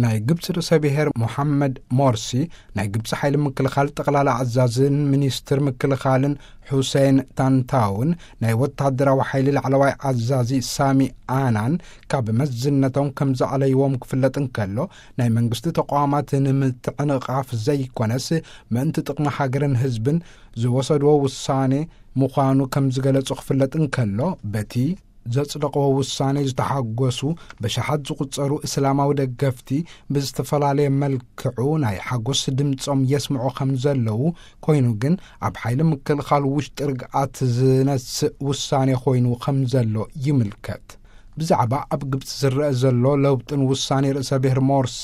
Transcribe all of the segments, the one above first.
ናይ ግብፂ ርእሰ ብሔር ሞሓመድ ሞርሲ፣ ናይ ግብፂ ሓይሊ ምክልኻል ጠቕላላ ኣዛዝን ሚኒስትር ምክልኻልን ሑሴን ታንታውን፣ ናይ ወታደራዊ ሓይሊ ላዕለዋይ ኣዛዚ ሳሚ ኣናን ካብ መዝነቶም ከም ዘዕለይዎም ክፍለጥ እንከሎ፣ ናይ መንግስቲ ተቋማት ንምትዕንቓፍ ዘይኮነስ፣ ምእንቲ ጥቕሚ ሃገርን ህዝብን ዝወሰድዎ ውሳኔ ምዃኑ ከም ዝገለጹ ክፍለጥ እንከሎ፣ በቲ ዘጽደቕዎ ውሳኔ ዝተሓጎሱ በሽሓት ዝቑጸሩ እስላማዊ ደገፍቲ ብዝተፈላለየ መልክዑ ናይ ሓጎስ ድምጾም የስምዑ ከም ዘለዉ፣ ኮይኑ ግን ኣብ ሓይሊ ምክልኻል ውሽጢ ርግኣት ዝነስእ ውሳኔ ኮይኑ ከም ዘሎ ይምልከት። ብዛዕባ ኣብ ግብጺ ዝረአ ዘሎ ለውጥን ውሳኔ ርእሰ ብሔር ሞርሲ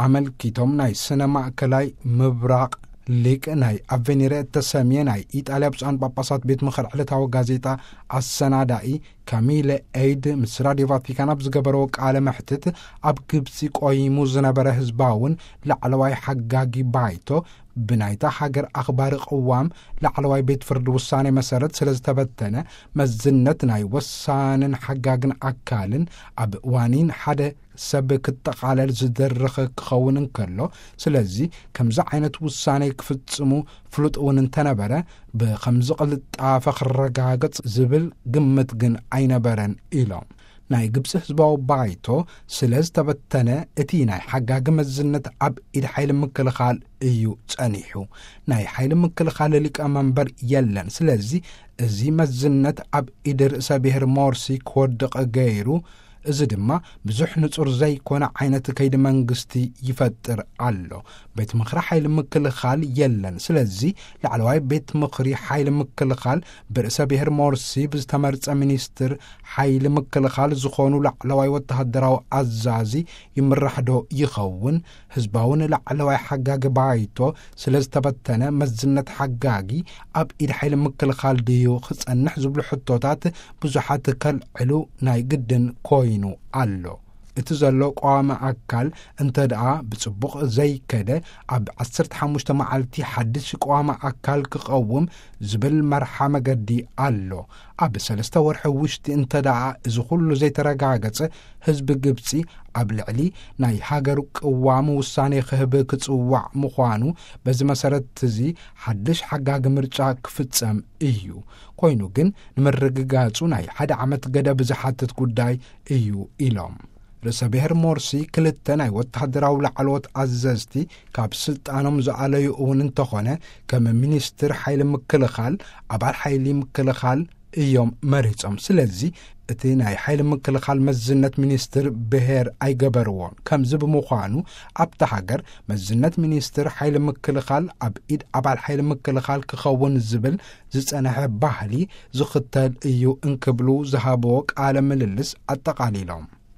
ኣመልኪቶም ናይ ስነ ማእከላይ ምብራቕ ሊቅ ናይ ኣቬኒረ እተሰምየ ናይ ኢጣልያ ብፁዓን ጳጳሳት ቤት ምኽሪ ዕለታዊ ጋዜጣ ኣሰናዳኢ ካሚለ ኤይድ ምስ ራድዮ ቫቲካን ኣብ ዝገበረዎ ቃለ መሕትት፣ ኣብ ግብጺ ቆይሙ ዝነበረ ህዝባውን ላዕለዋይ ሓጋጊ ባይቶ ብናይታ ሃገር ኣኽባሪ ቅዋም ላዕለዋይ ቤት ፍርዲ ውሳኔ መሰረት ስለ ዝተበተነ፣ መዝነት ናይ ወሳንን ሓጋግን ኣካልን ኣብ ዋኒን ሓደ ሰብ ክጠቓለል ዝድርኽ ክኸውን እንከሎ፣ ስለዚ ከምዚ ዓይነት ውሳኔ ክፍጽሙ ፍሉጥ እውን እንተነበረ፣ ብኸምዚ ቅልጣፈ ክረጋገጽ ዝብል ግምት ግን ኣይነበረን ኢሎም። ናይ ግብጺ ህዝባዊ ባይቶ ስለ ዝተበተነ፣ እቲ ናይ ሓጋጊ መዝነት ኣብ ኢድ ሓይሊ ምክልኻል እዩ ጸኒሑ። ናይ ሓይሊ ምክልኻል ሊቀ መንበር የለን። ስለዚ እዚ መዝነት ኣብ ኢድ ርእሰ ብሔር ሞርሲ ክወድቕ ገይሩ፣ እዚ ድማ ብዙሕ ንጹር ዘይኮነ ዓይነት ከይዲ መንግስቲ ይፈጥር ኣሎ። ቤት ምኽሪ ሓይሊ ምክልኻል የለን። ስለዚ ላዕለዋይ ቤት ምኽሪ ሓይሊ ምክልኻል ብርእሰ ብሔር ሞርሲ ብዝተመርጸ ሚኒስትር ሓይሊ ምክልኻል ዝኾኑ ላዕለዋይ ወተሃደራዊ ኣዛዚ ይምራሕ ዶ ይኸውን? ህዝባውን ላዕለዋይ ሓጋጊ ባይቶ ስለ ዝተበተነ፣ መዝነት ሓጋጊ ኣብ ኢድ ሓይሊ ምክልኻል ድዩ ክጸንሕ ዝብሉ ሕቶታት ብዙሓት ከልዕሉ ናይ ግድን ኮይኑ ኣሎ። እቲ ዘሎ ቀዋሚ ኣካል እንተ ደኣ ብጽቡቕ ዘይከደ፣ ኣብ ዓሰርተ ሓሙሽተ መዓልቲ ሓድሽ ቀዋሚ ኣካል ክቐውም ዝብል መርሓ መገዲ ኣሎ። ኣብ ሰለስተ ወርሒ ውሽጢ እንተ ደኣ እዚ ኩሉ ዘይተረጋገጸ፣ ህዝቢ ግብጺ ኣብ ልዕሊ ናይ ሃገሩ ቅዋም ውሳኔ ክህብ ክጽዋዕ ምዃኑ፣ በዚ መሰረት እዚ ሓድሽ ሓጋጊ ምርጫ ክፍጸም እዩ። ኮይኑ ግን ንምርግጋጹ ናይ ሓደ ዓመት ገደብ ዝሓትት ጉዳይ እዩ ኢሎም። ርእሰ ብሔር ሞርሲ ክልተ ናይ ወተሃደራዊ ላዕለዎት ኣዘዝቲ ካብ ስልጣኖም ዝኣለዩ እውን እንተኾነ፣ ከም ሚኒስትር ሓይሊ ምክልኻል፣ ኣባል ሓይሊ ምክልኻል እዮም መሪጾም። ስለዚ እቲ ናይ ሓይሊ ምክልኻል መዝነት ሚኒስትር ብሔር ኣይገበርዎን። ከምዚ ብምዃኑ ኣብታ ሃገር መዝነት ሚኒስትር ሓይሊ ምክልኻል ኣብ ኢድ ኣባል ሓይሊ ምክልኻል ክኸውን ዝብል ዝጸንሐ ባህሊ ዝኽተል እዩ እንክብሉ ዝሃብዎ ቃለ ምልልስ ኣጠቓሊሎም።